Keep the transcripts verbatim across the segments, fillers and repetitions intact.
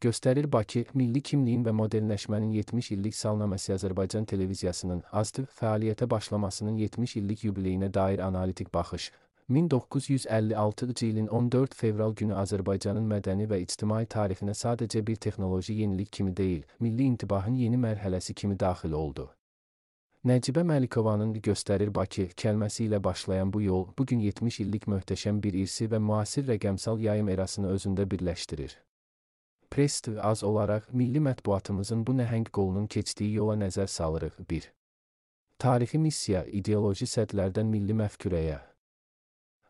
Göstərir Bakı, milli kimliyin və modernləşmənin yetmiş illik salnaməsi Azərbaycan televiziyasının AZTV fəaliyyətə başlamasının yetmiş illik yubileyinə dair analitik baxış. min doqquz yüz əlli altıncı ilin on dörd fevral günü Azərbaycanın mədəni və ictimai tarixinə sadəcə bir texnoloji yenilik kimi deyil, milli intibahın yeni mərhələsi kimi daxil oldu. Nəcibə Məlikovanın Göstərir Bakı kəlməsi ilə başlayan bu yol, bugün yetmiş illik möhtəşəm bir irsi və müasir rəqəmsal yayım erasını özündə birləşdirir. Press T V az olaraq milli mətbuatımızın bu nəhəng qolunun keçdiyi yola nəzər salırıq. bir. Tarixi missiya, ideoloji sədlərdən milli məfkürəyə.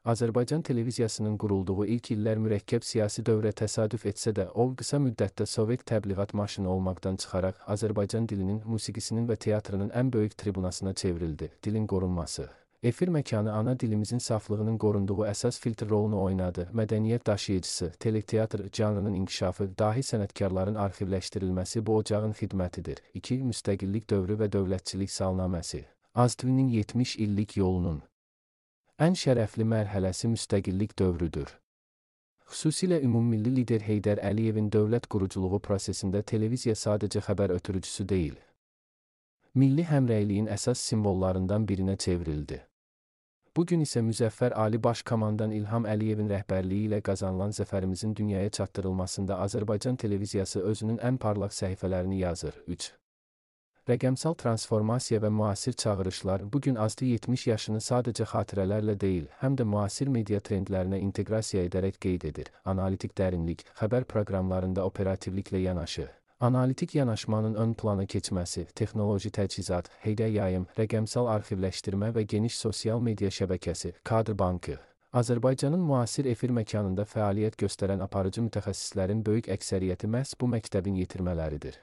Azərbaycan televiziyasının qurulduğu ilk illər mürəkkəb siyasi dövrə təsadüf etsə də, o qısa müddətdə Sovet təbliğat maşını olmaqdan çıxaraq Azərbaycan dilinin, musiqisinin və teatrının ən böyük tribunasına çevrildi. Dilin qorunması. Efir məkanı ana dilimizin saflığının qorunduğu əsas filtr rolunu oynadı. Mədəniyyət daşıyıcısı, teleteatr janrının inkişafı, dahi sənətkarların arxivləşdirilməsi bu ocağın xidmətidir. iki. Müstəqillik dövrü və dövlətçilik salnaməsi. AZTV-nin yetmiş illik yolunun ən şərəfli mərhələsi müstəqillik dövrüdür. Xüsusilə ümummilli lider Heydər Əliyevin dövlət quruculuğu prosesində televiziya sadəcə xəbər ötürücüsü deyil, milli həmrəyliyin əsas simvollarından birinə çevrildi. Bugün isə müzəffər Ali Baş Komandan İlham Əliyevin rəhbərliyi ilə qazanılan zəfərimizin dünyaya çatdırılmasında Azərbaycan televiziyası özünün ən parlaq səhifələrini yazır. üç. Rəqəmsal transformasiya və müasir çağırışlar bugün AZTV yetmiş yaşını sadəcə xatirələrlə deyil, həm də müasir media trendlərinə inteqrasiya edərək qeyd edir. Analitik dərinlik, xəbər proqramlarında operativliklə yanaşı. Analitik yanaşmanın ön plana keçməsi, texnoloji təchizat, heydə yayım, rəqəmsal arxivləşdirmə və geniş sosial media şəbəkəsi, kadr bankı. Azərbaycanın müasir efir məkanında fəaliyyət göstərən aparıcı mütəxəssislərin böyük əksəriyyəti məhz bu məktəbin yetirmələridir.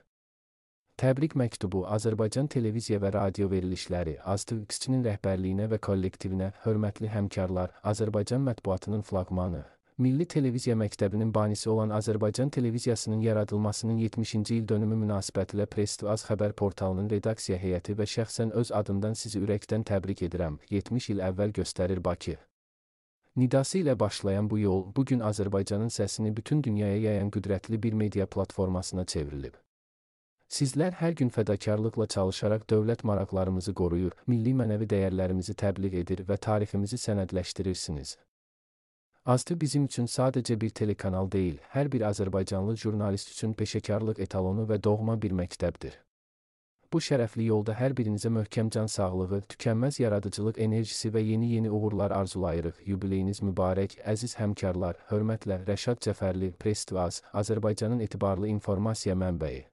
Təbrik məktubu Azərbaycan televiziya və radio verilişləri, AZTV-nin rəhbərliyinə və kollektivinə, hörmətli həmkarlar, Azərbaycan mətbuatının flaqmanı. Milli Televiziya Məktəbinin banisi olan Azərbaycan televiziyasının yaradılmasının yetmişinci il dönümü münasibətilə Press T V Az xəbər portalının redaksiya heyəti və şəxsən öz adımdan sizi ürəkdən təbrik edirəm. yetmiş il əvvəl Göstərir Bakı nidası ilə başlayan bu yol, bugün Azərbaycanın səsini bütün dünyaya yayan qüdrətli bir media platformasına çevrilib. Sizlər hər gün fədakarlıqla çalışaraq dövlət maraqlarımızı qoruyur, milli mənəvi dəyərlərimizi təbliğ edir və tariximizi sənədləşdirirsiniz. AZTV bizim üçün sadəcə bir telekanal deyil, hər bir Azərbaycanlı jurnalist üçün peşəkarlıq etalonu və doğma bir məktəbdir. Bu şərəfli yolda hər birinizə möhkəm can sağlığı, tükənməz yaradıcılıq enerjisi və yeni-yeni uğurlar arzulayırıq. Yubileyiniz mübarək, əziz həmkarlar, hörmətlə Rəşad Cəfərli, Press T V Az, Azərbaycanın etibarlı informasiya mənbəyi.